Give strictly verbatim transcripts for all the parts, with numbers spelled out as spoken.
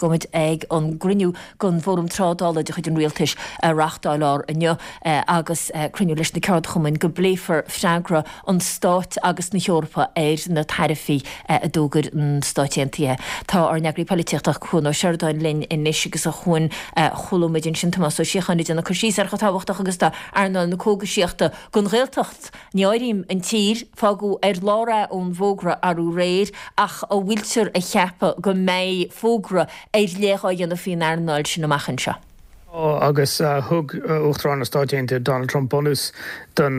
go bhfuil muid ag an gcruinniú den bhFóram Trádála de chuid an Rialtais a reáchtáladh inniu agus cruinniú leis na ceardchumainn go bpléifear freagra an Stáit agus na hEorpa ar na taraifí a d'fhógair na Stáit Aontaithe. Tá ár n-eagraí polaitíochta Cuan Ó Seireadáin linn anois agus a Chuain chuala muid ansin Tomás Ó Síocháin ag déanamh cur síos ar chomh tábhachtach agus atá earnáil na cógaisíochta don Ghaeltacht. Ní áirím an tír fágadh ar lár é ón bhfógra arú aréir ach an bhfuiltear a cheapadh go mbeidh fógra ar leith á dhéanamh faoin earnáil sin amach anseo. agus thug Uachtarán na Stáit Aontaithe Donald Trump bunús don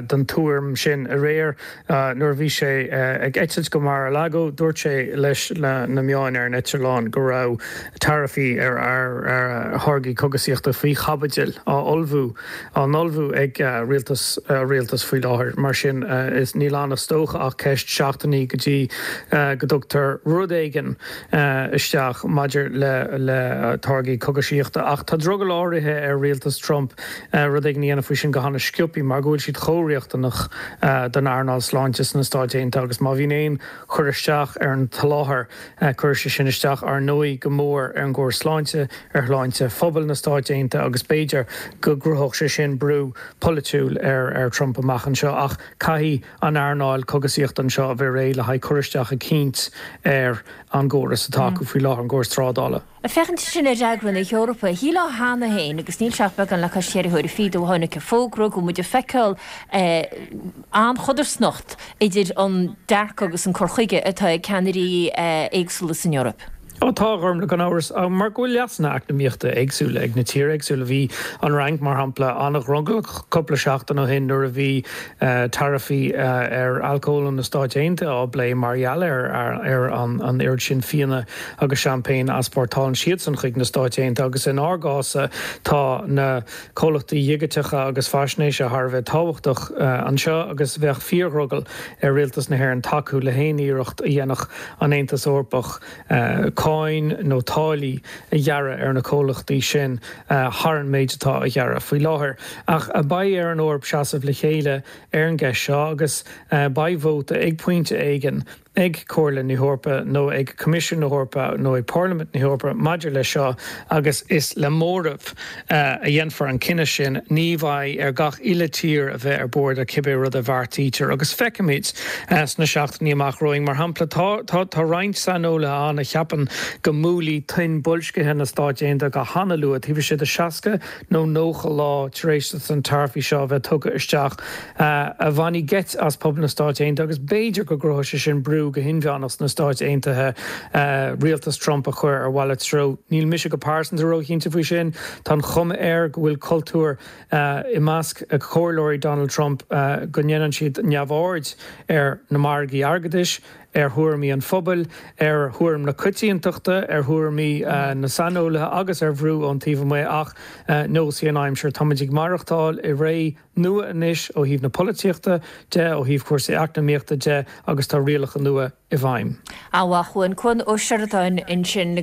don tuairim sin aréir nuair a bhí sé ag eitilt go Mar-a-Lago dúirt sé leis na meáin ar an eitleán go raibh taraifí ar ar ar tháirgí cógaisíochta faoi chaibidil á ullmhú á n-ullmhú ag rialtas rialtas faoi láthair mar sin is níl ann is dócha ach ceist seachtainí go dtí go dtugtar rud éigin isteach maidir le le táirgí cógaisíochta ach tá drogall áirithe ar rialtas Trump rud éigin a dhéanamh faoi sin go han-sciobtha mar go bhfuil siad chomh riachtanach don earnáil sláinte sna Stáit Aontaithe agus má bhíonn aon chur isteach ar an tsoláthar chuir sé sin isteach ar ndóigh go mór ar an gcóras sláinte ar shláinte phobal na Stáit Aontaithe agus b'fhéidir go gcruthódh sé sin brú polaitiúil ar ar Trump amach anseo ach caithfidh an earnáil cógaisíochta anseo a bheith réidh le haghaidh cur isteach eicínt ar an gcóras atá acu faoi láthair an gcóras trádála. Ag féachaint sin ar fhreagra na hEorpa, shílfeá cheana féin agus níl sé ach beagán le cois ceithre huaire fichead ó tháinig an fógra go muid ag feiceáil an-chodarsnacht idir an dearcadh agus an cur chuige atá ag ceannairí éagsúla san Eoraip. Ó tá orm le gan amhras mar go bhfuil leasanna eacnamaíochta éagsúla ag na tíortha éagsúla bhí an Fhrainc mar shampla an-dhrogallach cúpla seachtain ó shin nuair a bhí taraifí ar alcól na Stáit Aontaithe á bplé mar gheall ar ar an an oiread sin fíona agus seaimpéin a easpórtálann siadsan chuig na Stáit Aontaithe agus in ár gcás tá na comhlachtaí digiteacha agus faisnéise thar a bheith tábhachtach anseo agus bheadh fíordhrogall ar rialtas na hÉireann tacú le haon iarracht a dhéanfadh an Aontas Eorpach cáin nó táillí a ghearradh ar na comhlachtaí sin thar an méid atá á ghearradh faoi láthair. Ach beidh ar an Eoraip seasamh le chéile ar an gceist seo agus beidh vóta ag pointe éigin ag Comhairle na hEorpa nó ag Coimisiún na hEorpa nó ag Parlaimint na hEorpa maidir leis seo agus is le móramh a dhéanfar an cinneadh sin ní bheidh ar gach uile tír a bheith ar bord ar cibé rud a bheartaítear agus feicfimid sna seachtainí amach romhainn mar shampla tá tá tá roinnt saineolaithe ann a cheapann go mbuailfidh tuin boilscithe na Stáit Aontaithe go han-luath taobh istigh de seasca nó nócha lá tar éis an taraifí seo a bheith tugtha isteach a bhainfidh geit as pobal na Stáit Aontaithe agus b'fhéidir go gcruthóidh sé sin brú go hinmheánach sna Stáit Aontaithe rialtas Trump a chur ar mhalairt treo. Níl mise go pearsanta róchinnte faoi sin, Tá an chuma air go bhfuil cultúr i measc comhairleoirí Donald Trump go ndéanann siad neamhaird ar na margaí airgeadais, ar thuairimí an phobail, ar thuairim na coitiantachta, ar thuairimí na saineolaithe agus ar bhrú ón taobh amuigh ach nós í an aimsir. Táimid ag maireachtáil i ré nua anois ó thaobh na polaitíochta de, ó thaobh cúrsaí eacnamaíochta de agus tá rialacha nua i bhfeidhm. A Chuain Cuan Ó Seireadáin ansin.